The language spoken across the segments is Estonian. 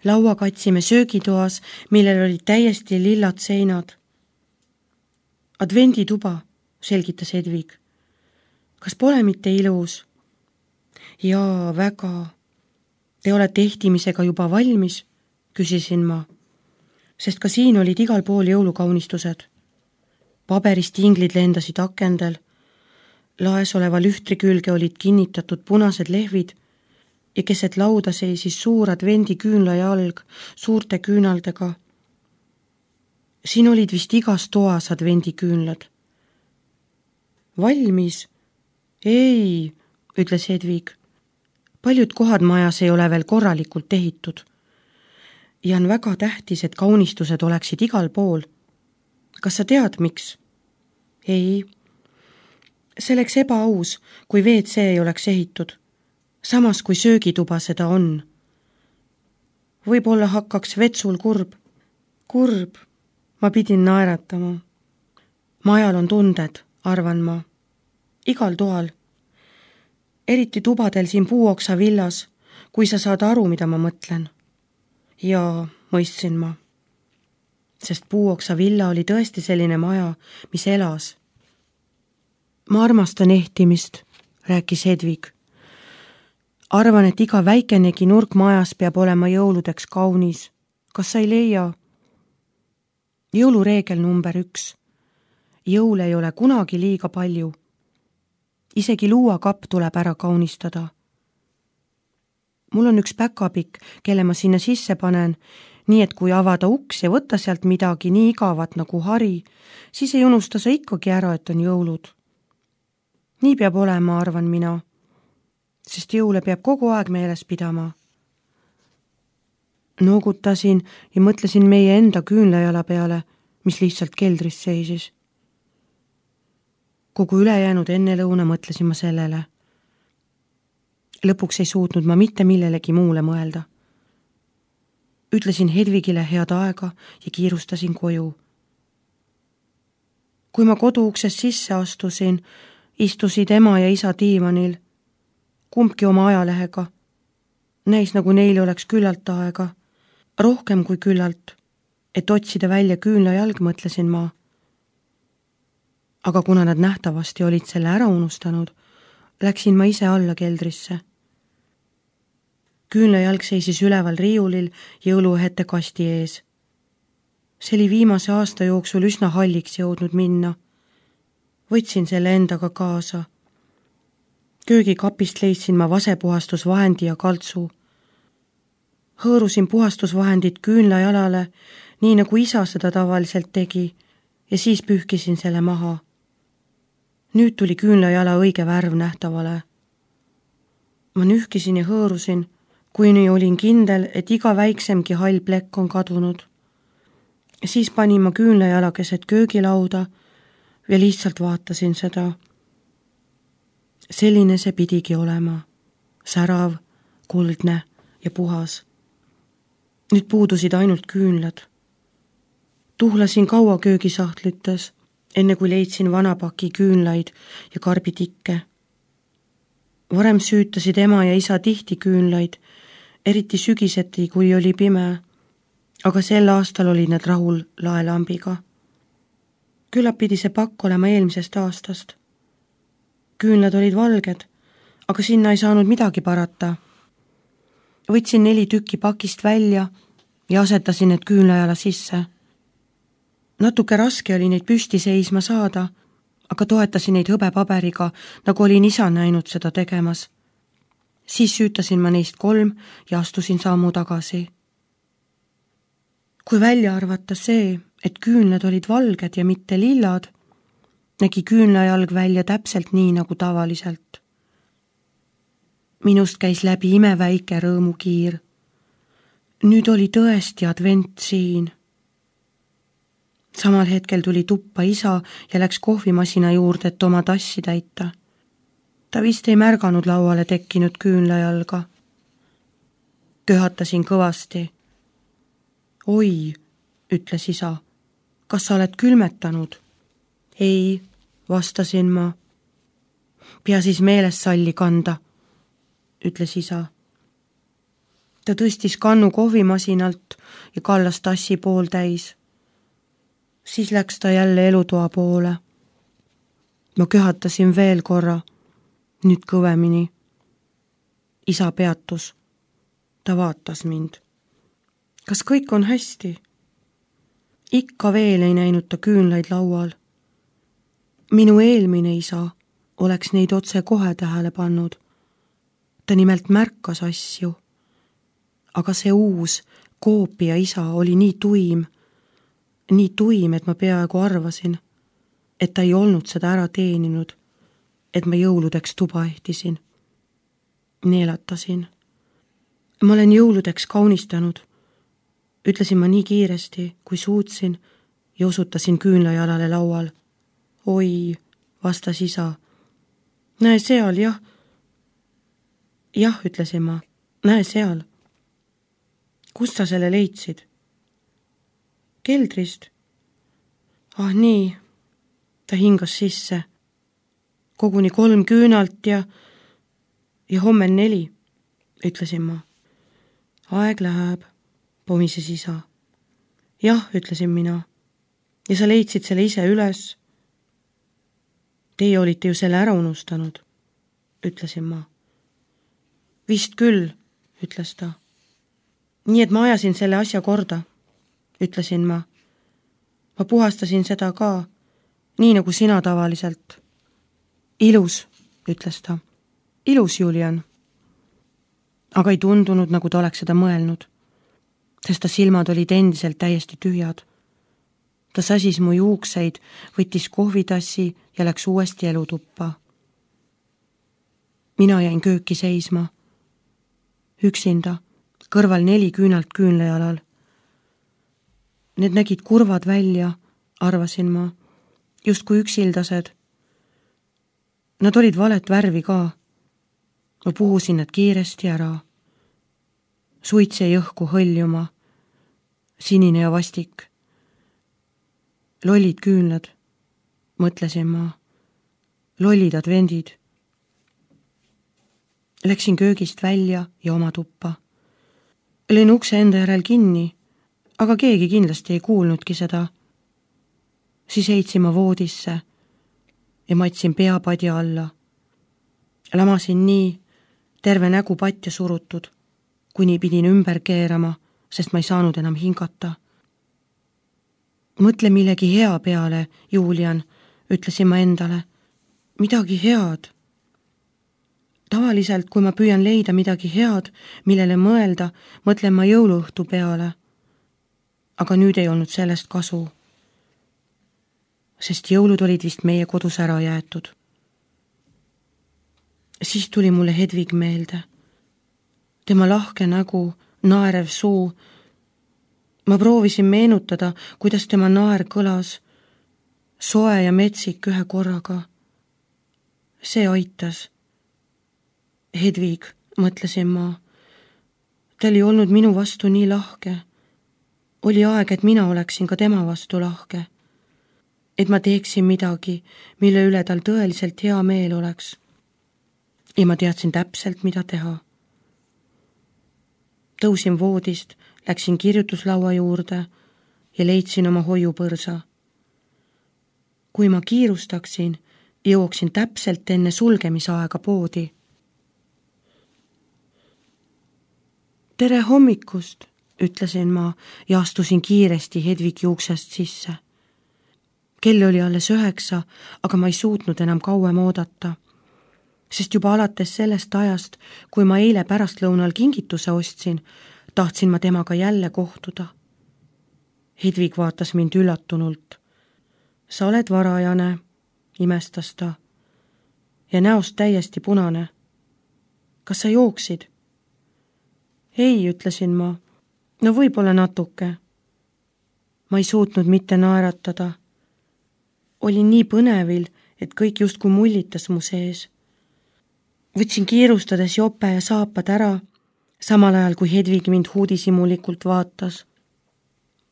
Laua katsime söögitoas, millel olid täiesti lillad seinad. Advendituba, selgitas Hedvig. Kas pole mitte ilus? Jaa, väga. Te olete ehtimisega juba valmis, küsisin ma, sest ka siin olid igal pool jõulukaunistused. Paberist inglid lendasid akendel, laes oleva lühtri külge olid kinnitatud punased lehvid ja keset lauda seisis suur advendi küünlajalg suurte küünaldega. Siin olid vist igas toas advendi küünlad. Valmis? Ei, ütles Hedvig. Paljud kohad majas ei ole veel korralikult ehitud. Ja on väga tähtis, et kaunistused oleksid igal pool. Kas sa tead, miks? Ei. See oleks ebaaus, kui WC ei oleks ehitud. Samas kui söögituba seda on. Võib-olla hakkaks vetsul kurb. Kurb. Ma pidin naeratama. Majal on tunded, arvan ma. Igal toal. Eriti tubadel siin Puuoksa villas, kui sa saad aru, mida ma mõtlen. Ja mõistsin ma. Sest Puuoksa villa oli tõesti selline maja, mis elas. Ma armastan ehtimist, rääkis Hedvig. Arvan, et iga väikenegi nurk majas peab olema jõuludeks kaunis. Kas sa ei leia? Jõulureegel number 1. Jõul ei ole kunagi liiga palju. Isegi luuakapp tuleb ära kaunistada. Mul on üks päkapikk, kelle ma sinna sisse panen, nii et kui avada uks ja võtta sealt midagi nii igavat nagu hari, siis ei unusta sa ikkagi ära, et on jõulud. Nii peab olema, arvan mina, sest jõule peab kogu aeg meeles pidama. Noogutasin ja mõtlesin meie enda küünlajala peale, mis lihtsalt keldris seisis. Kogu ülejäänud ennelõuna mõtlesin ma sellele. Lõpuks ei suutnud ma mitte millelegi muule mõelda. Ütlesin Hedvigile head aega ja kiirustasin koju. Kui ma koduuksest sisse astusin, istusid ema ja isa diivanil, kumbki oma ajalehega. Näis nagu neil oleks küllalt aega, rohkem kui küllalt, et otsida välja küünlajalg, mõtlesin ma. Aga kuna nad nähtavasti olid selle ära unustanud, läksin ma ise alla keldrisse. Küünlajalg seisis üleval riiulil jõuluõhete kasti ees. See oli viimase aasta jooksul üsna halliks jõudnud minna. Võtsin selle endaga kaasa. Köögikapist leidsin ma vasepuhastusvahendi ja kaltsu. Hõõrusin puhastusvahendit küünlajalale, nii nagu isa seda tavaliselt tegi, ja siis pühkisin selle maha. Nüüd tuli küünlajala õige värv nähtavale. Ma nühkisin ja hõõrusin, kuni olin kindel, et iga väiksemgi hall plekk on kadunud. Siis panin ma küünlajala keset köögilauda ja lihtsalt vaatasin seda. Selline see pidigi olema. Särav, kuldne ja puhas. Nüüd puudusid ainult küünlad. Tuhlasin kaua köögisahtlütes, enne kui leidsin vanapaki küünlaid ja karbitikke. Varem süütasid ema ja isa tihti küünlaid, eriti sügiseti, kui oli pime, aga sel aastal olid nad rahul laelambiga. Küllap pidi see pakk olema eelmisest aastast. Küünlad olid valged, aga sinna ei saanud midagi parata. Võtsin 4 tükki pakist välja ja asetasin need küünlajala sisse. Natuke raske oli neid püsti seisma saada, aga toetasin neid hõbepaberiga, nagu olin isa näinud seda tegemas. Siis süütasin ma neist 3 ja astusin sammu tagasi. Kui välja arvata see, et küünlad olid valged ja mitte lillad, nägi küünlajalg välja täpselt nii nagu tavaliselt. Minust käis läbi imeväike rõõmukiir. Nüüd oli tõesti advent siin. Samal hetkel tuli tuppa isa ja läks kohvimasina juurde, et oma tassi täita. Ta vist ei märganud lauale tekkinud küünlajalga. Köhatasin kõvasti. Oi, ütles isa, kas sa oled külmetanud? Ei, vastasin ma. Pea siis meeles salli kanda, ütles isa. Ta tõstis kannu kohvimasinalt ja kallas tassi pooltäis. Siis läks ta jälle elutoa poole. Ma köhatasin veel korra, nüüd kõvemini. Isa peatus. Ta vaatas mind. Kas kõik on hästi? Ikka veel ei näinud ta küünlaid laual. Minu eelmine isa oleks neid otse kohe tähele pannud. Ta nimelt märkas asju. Aga see uus koopia isa oli nii tuim, et ma peaaegu arvasin, et ta ei olnud seda ära teeninud, et ma jõuludeks tuba ehtisin. Neelatasin. Ma olen jõuludeks kaunistanud, ütlesin ma nii kiiresti, kui suutsin ja osutasin küünlajalale laual. Oi, vastas isa. Näe seal, jah. Jah, ütlesin ma, näe seal. Kust sa selle leidsid? Keldrist. Ah nii, ta hingas sisse. Koguni 3 küünalt ja homme 4, ütlesin ma. Aeg läheb, pomises isa. Jah, ütlesin mina. Ja sa leidsid selle ise üles. Teie olite ju selle ära unustanud, ütlesin ma. Vist küll, ütles ta. Nii et ma ajasin selle asja korda, ütlesin ma. Ma puhastasin seda ka, nii nagu sina tavaliselt. Ilus, ütles ta. Ilus, Julian. Aga ei tundunud, nagu ta oleks seda mõelnud, sest ta silmad olid endiselt täiesti tühjad. Ta sasis mu juukseid, võttis kohvitassi ja läks uuesti elutuppa. Mina jäin kööki seisma. Üksinda, kõrval 4 küünalt küünlajalal. Need nägid kurvad välja, arvasin ma, justkui üksildased. Nad olid valet värvi ka. Ma puhusin nad kiiresti ära. Suits jäi õhku hõljuma, sinine ja vastik. Lollid küünlad, mõtlesin ma. Lollid advendid. Läksin köögist välja ja oma tuppa. Lõin ukse enda järel kinni, aga keegi kindlasti ei kuulnudki seda. Siis heitsin ma voodisse ja matsin pea padja alla. Lamasin nii, terve nägu patja surutud, kuni pidin ümber keerama, sest ma ei saanud enam hingata. Mõtle millegi hea peale, Julian, ütlesin ma endale. Midagi head. Tavaliselt, kui ma püüan leida midagi head, millele mõelda, mõtlen ma jõuluõhtu peale. Aga nüüd ei olnud sellest kasu. Sest jõulud olid vist meie kodus ära jäetud. Siis tuli mulle Hedvig meelde. Tema lahke nägu, naerev suu. Ma proovisin meenutada, kuidas tema naer kõlas. Soe ja metsik ühe korraga. See aitas. Hedvig, mõtlesin ma. Ta oli olnud minu vastu nii lahke. Oli aeg, et mina oleksin ka tema vastu lahke. Et ma teeksin midagi, mille üle tal tõeliselt hea meel oleks. Ja ma teadsin täpselt, mida teha. Tõusin voodist, läksin kirjutuslaua juurde ja leidsin oma hoiupõrsa. Kui ma kiirustaksin, jõuaksin täpselt enne sulgemisaega poodi. Tere hommikust, ütlesin ma ja astusin kiiresti Hedvigi uksest sisse. Kell oli alles 9, aga ma ei suutnud enam kauem oodata. Sest juba alates sellest ajast, kui ma eile pärastlõunal kingituse ostsin, tahtsin ma temaga jälle kohtuda. Hedvig vaatas mind üllatunult. Sa oled varajane, imestas ta. Ja näost täiesti punane. Kas sa jooksid? Ei, ütlesin ma. No võib-olla natuke. Ma ei suutnud mitte naeratada. Olin nii põnevil, et kõik justkui mullitas mu sees. Võtsin kiirustades jope ja saapad ära, samal ajal kui Hedvig mind huudisimulikult vaatas.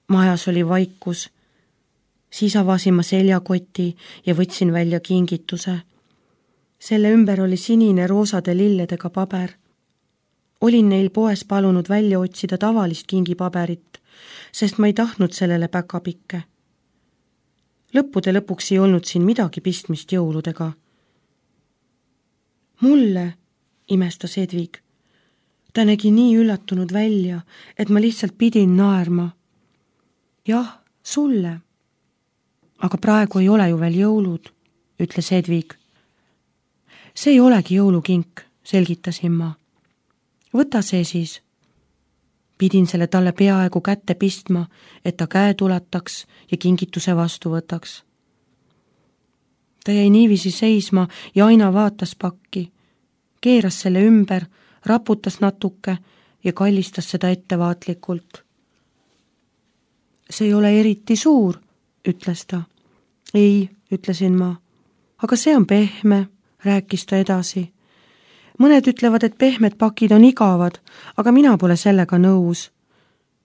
Majas oli vaikus. Siis avasin ma seljakoti ja võtsin välja kingituse. Selle ümber oli sinine roosade lilledega paber. Olin neil poes palunud välja otsida tavalist kingipaberit, sest ma ei tahtnud sellele päkapikke. Lõppude lõpuks ei olnud siin midagi pistmist jõuludega. Mulle, imestas Edvig. Ta nägi nii üllatunud välja, et ma lihtsalt pidin naerma. Jah, sulle. Aga praegu ei ole ju veel jõulud, ütles Edvig. See ei olegi jõulukink, selgitasin ma. Võta see siis. Pidin selle talle peaaegu kätte pistma, et ta käed ulataks ja kingituse vastu võtaks. Ta jäi niiviisi seisma ja aina vaatas pakki, keeras selle ümber, raputas natuke ja kallistas seda ettevaatlikult. See ei ole eriti suur, ütles ta. Ei, ütlesin ma. Aga see on pehme, rääkis ta edasi. Mõned ütlevad, et pehmed pakid on igavad, aga mina pole sellega nõus.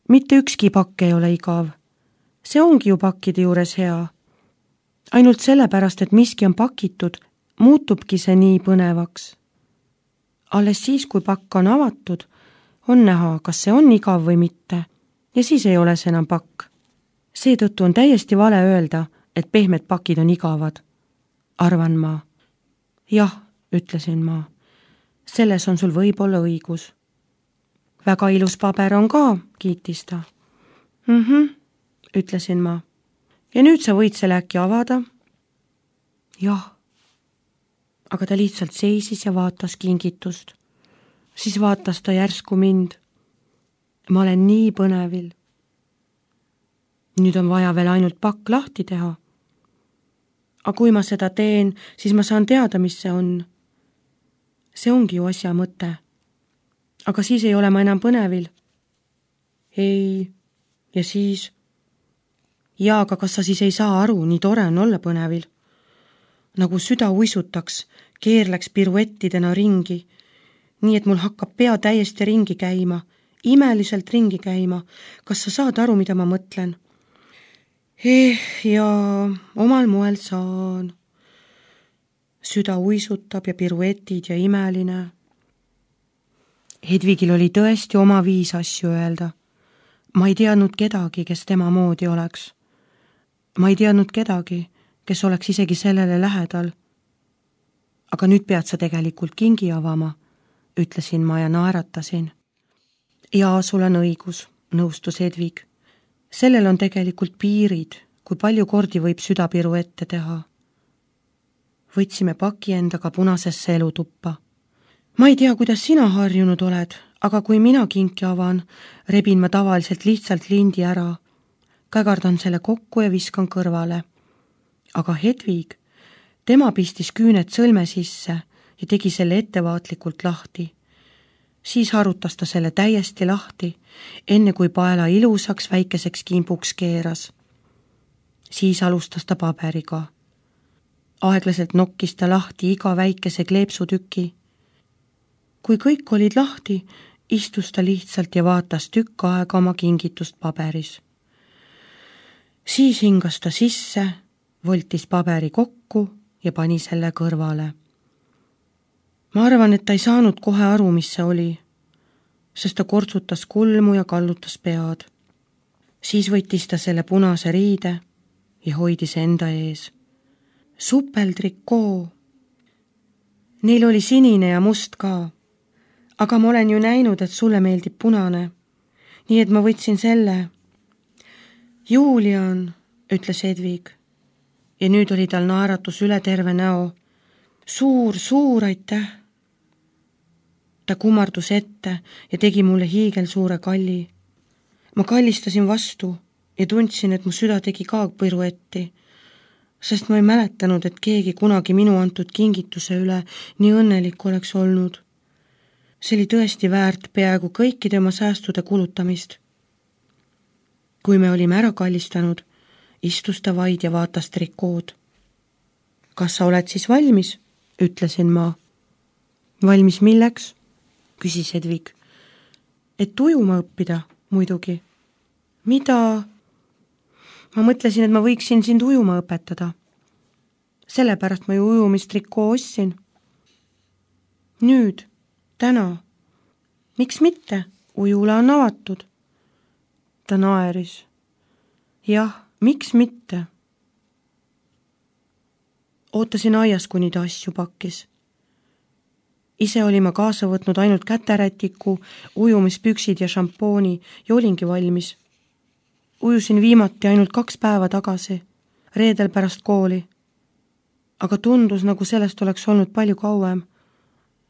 Mitte ükski pakk ei ole igav. See ongi ju pakkide juures hea. Ainult sellepärast, et miski on pakitud, muutubki see nii põnevaks. Alles siis, kui pakk on avatud, on näha, kas see on igav või mitte, ja siis ei ole see enam pakk. Seetõttu on täiesti vale öelda, et pehmed pakid on igavad, arvan ma. Jah, ütlesin ma. Selles on sul võib-olla õigus. Väga ilus paber on ka, kiitis ta. Ütlesin ma. Ja nüüd sa võid selle äkki avada? Jah. Aga ta lihtsalt seisis ja vaatas kingitust. Siis vaatas ta järsku mind. Ma olen nii põnevil. Nüüd on vaja veel ainult pakk lahti teha. Aga kui ma seda teen, siis ma saan teada, mis see on. See ongi ju asja mõte. Aga siis ei ole ma enam põnevil. Ei, ja siis? Ja, aga kas sa siis ei saa aru, nii tore on olla põnevil? Nagu süda uisutaks, keerleks piruettidena ringi, nii et mul hakkab pea täiesti ringi käima, imeliselt ringi käima. Kas sa saad aru, mida ma mõtlen? Jaa, omal moel saan. Süda uisutab ja piruetid ja imeline. Hedvigil oli tõesti oma viis asju öelda. Ma ei teadnud kedagi, kes tema moodi oleks. Ma ei teadnud kedagi, kes oleks isegi sellele lähedal. Aga nüüd pead sa tegelikult kingi avama, ütlesin ma ja naeratasin. Jaa, sul on õigus, nõustus Hedvig. Sellel on tegelikult piirid, kui palju kordi võib süda piruette teha. Võtsime paki endaga punasesse elutuppa. Ma ei tea, kuidas sina harjunud oled, aga kui mina kinki avan, rebin ma tavaliselt lihtsalt lindi ära. Kägardan selle kokku ja viskan kõrvale. Aga Hedvig, tema pistis küüned sõlme sisse ja tegi selle ettevaatlikult lahti. Siis harutas ta selle täiesti lahti, enne kui paela ilusaks väikeseks kimbuks keeras. Siis alustas ta paberiga. Aeglaselt nokkis ta lahti iga väikese kleepsutüki. Kui kõik olid lahti, istus ta lihtsalt ja vaatas tükk aega oma kingitust paberis. Siis hingas ta sisse, voltis paberi kokku ja pani selle kõrvale. Ma arvan, et ta ei saanud kohe aru, mis see oli, sest ta kortsutas kulmu ja kallutas pead. Siis võttis ta selle punase riide ja hoidis enda ees. Supeltrikoo. Neil oli sinine ja must ka, aga ma olen ju näinud, et sulle meeldib punane, nii et ma võtsin selle. Julian, ütles Hedvig, ja nüüd oli tal naeratus üle terve näo. Suur aitäh. Ta kummardus ette ja tegi mulle hiigelsuure kalli. Ma kallistasin vastu ja tundsin, et mu süda tegi ka piruetti, sest ma ei mäletanud, et keegi kunagi minu antud kingituse üle nii õnnelik oleks olnud. See oli tõesti väärt peaaegu kõikide oma säästude kulutamist. Kui me olime ära kallistanud, istus ta vaid ja vaatas trikood. Kas sa oled siis valmis? Ütlesin ma. Valmis milleks? Küsis Hedvig. Et ujuma õppida, muidugi. Mida? Ma mõtlesin, et ma võiksin sind ujuma õpetada. Sellepärast ma ju ujumistrikoo ostsin. Nüüd, täna. Miks mitte? Ujula on avatud. Ta naeris. Jah, miks mitte? Ootasin aias, kuni ta asju pakkis. Ise olin ma kaasa võtnud ainult käterätiku, ujumispüksid ja šampooni ja olingi valmis. Ujusin viimati ainult 2 päeva tagasi, reedel pärast kooli. Aga tundus, nagu sellest oleks olnud palju kauem,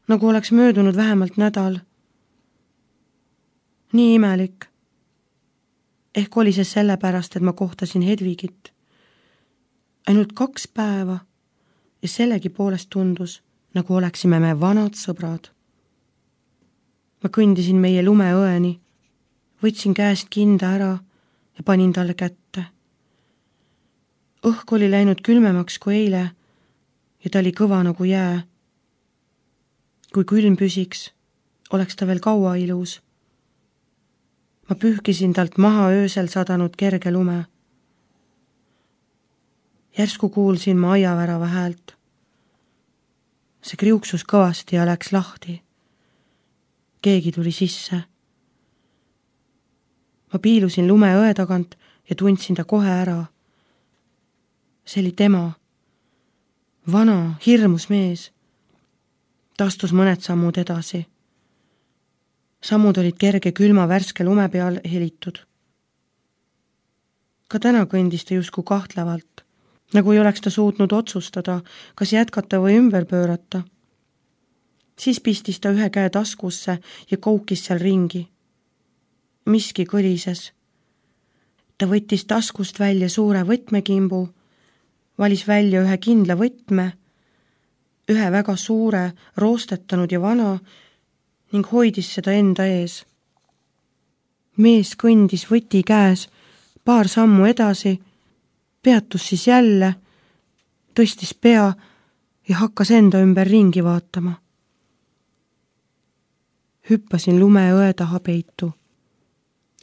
nagu oleks möödunud vähemalt nädal. Nii imelik. Ehk oli see sellepärast, et ma kohtasin Hedvigit. Ainult 2 päeva ja sellegi poolest tundus, nagu oleksime me vanad sõbrad. Ma kõndisin meie lumeõeni, võtsin käest kinda ära ja panin talle kätte. Õhk oli läinud külmemaks kui eile ja ta oli kõva nagu jää. Kui külm püsiks, oleks ta veel kaua ilus. Ma pühkisin talt maha öösel sadanud kerge lume. Järsku kuulsin ma aiavärava häält. See kriuksus kõvasti ja läks lahti. Keegi tuli sisse. Ma piilusin lumeõe tagant ja tundsin ta kohe ära. See oli tema. Vana, hirmus mees. Ta astus mõned sammud edasi. Sammud olid kerge külma värske lume peal helitud. Ka täna kõndis ta justkui kahtlevalt, nagu ei oleks ta suutnud otsustada, kas jätkata või ümber pöörata. Siis pistis ta ühe käe taskusse ja koukis seal ringi. Miski kõlises. Ta võttis taskust välja suure võtmekimbu, valis välja ühe kindla võtme, ühe väga suure, roostetanud ja vana ning hoidis seda enda ees. Mees kõndis võti käes 2 sammu edasi, peatus siis jälle, tõstis pea ja hakkas enda ümber ringi vaatama. Hüppasin lumeõe taha peitu.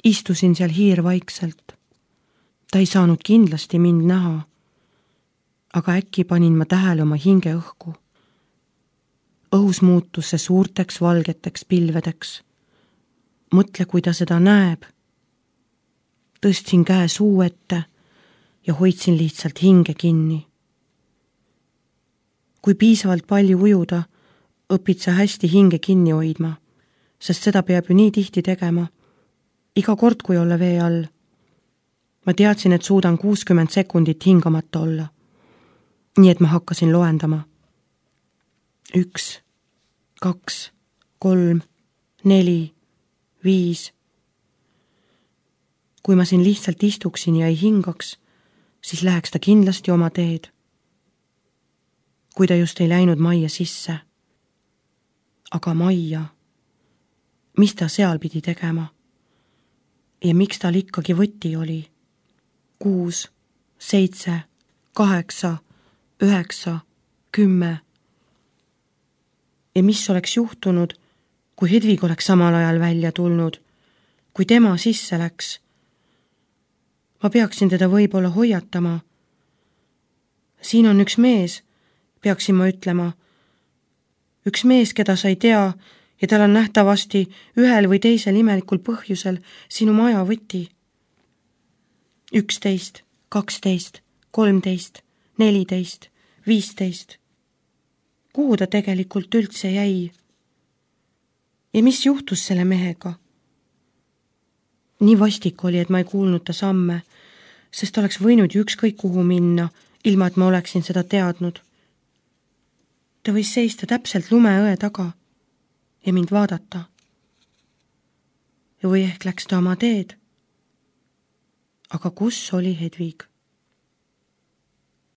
Istusin seal hiirvaikselt. Ta ei saanud kindlasti mind näha, aga äkki panin ma tähele oma hinge õhku. Õhus muutus see suurteks valgeteks pilvedeks. Mõtle, kui ta seda näeb. Tõstsin käe suu ette ja hoidsin lihtsalt hinge kinni. Kui piisavalt palju ujuda, õpid sa hästi hinge kinni hoidma, sest seda peab ju nii tihti tegema. Iga kord, kui olla vee all. Ma teadsin, et suudan 60 sekundit hingamata olla. Nii et ma hakkasin loendama. 1, 2, 3, 4, 5. Kui ma siin lihtsalt istuksin ja ei hingaks, siis läheks ta kindlasti oma teed. Kui ta just ei läinud majja sisse. Aga majja, mis ta seal pidi tegema? Ja miks tal ikkagi võti oli? 6, 7, 8, 9, 10. Ja mis oleks juhtunud, kui Hedvig oleks samal ajal välja tulnud, kui tema sisse läks? Ma peaksin teda võib-olla hoiatama. Siin on üks mees, peaksin ma ütlema. Üks mees, keda sa ei tea, ja tal on nähtavasti ühel või teisel imelikul põhjusel sinu maja võti. 11, 12, 13, 14, 15. Kuhu ta tegelikult üldse jäi? Ja mis juhtus selle mehega? Nii vastik oli, et ma ei kuulnud ta samme, sest oleks võinud ju ükskõik kuhu minna, ilma et ma oleksin seda teadnud. Ta võis seista täpselt lumeõe taga ja mind vaadata. Või ehk läks ta oma teed. Aga kus oli Hedvig?